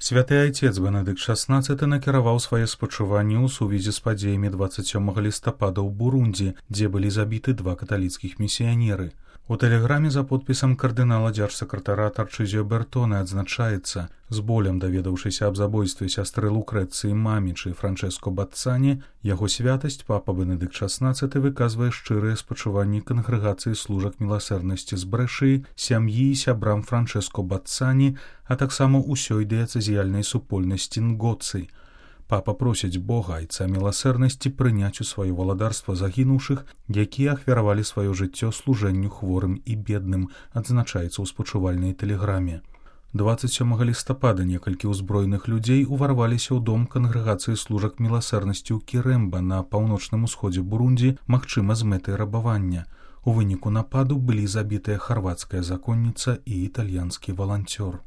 Святы айцец Бенедыкт XVI накіраваў свае спачуванні ў сувязі з падзеямі 27 лістапада ў Бурунді, дзе былі забіты 2 каталіцкіх місіянеры. У тэлеграме за подпісам кардынала дзяржсакратара Тарчызіо Бертоне адзначаецца: з болем даведаўшыся аб забойстве сястры Лукрэцыі Мамічы Франчэско Баццані, яго святасць папа Бенедыкт XVI выказвае шчырыя спачуванні кангрэгацыі служак міласэрнасці з Брэшыі, сям'і і сябрам Франчэско Баццані, а таксама ўсёй дыяцэзіяльнай супольнасці Нгоцы. Папа просіць Бога, айца міласэрнасці, прыняць у сваё валадарства загінуўшых, якія ахвяравалі сваё жыццё служэнню хворым і бедным, адзначаецца ў спачувальнай тэлеграме. 27 лістапада некалькі ўзброеных людзей уварваліся ў дом кангрэгацыі служак міласэрнасці ў Кірэмба на паўночным усходзе Бурунді, магчыма, з мэтай рабавання. У выніку нападу былі забітая харвацкая законніца і італьянскі валанцёр.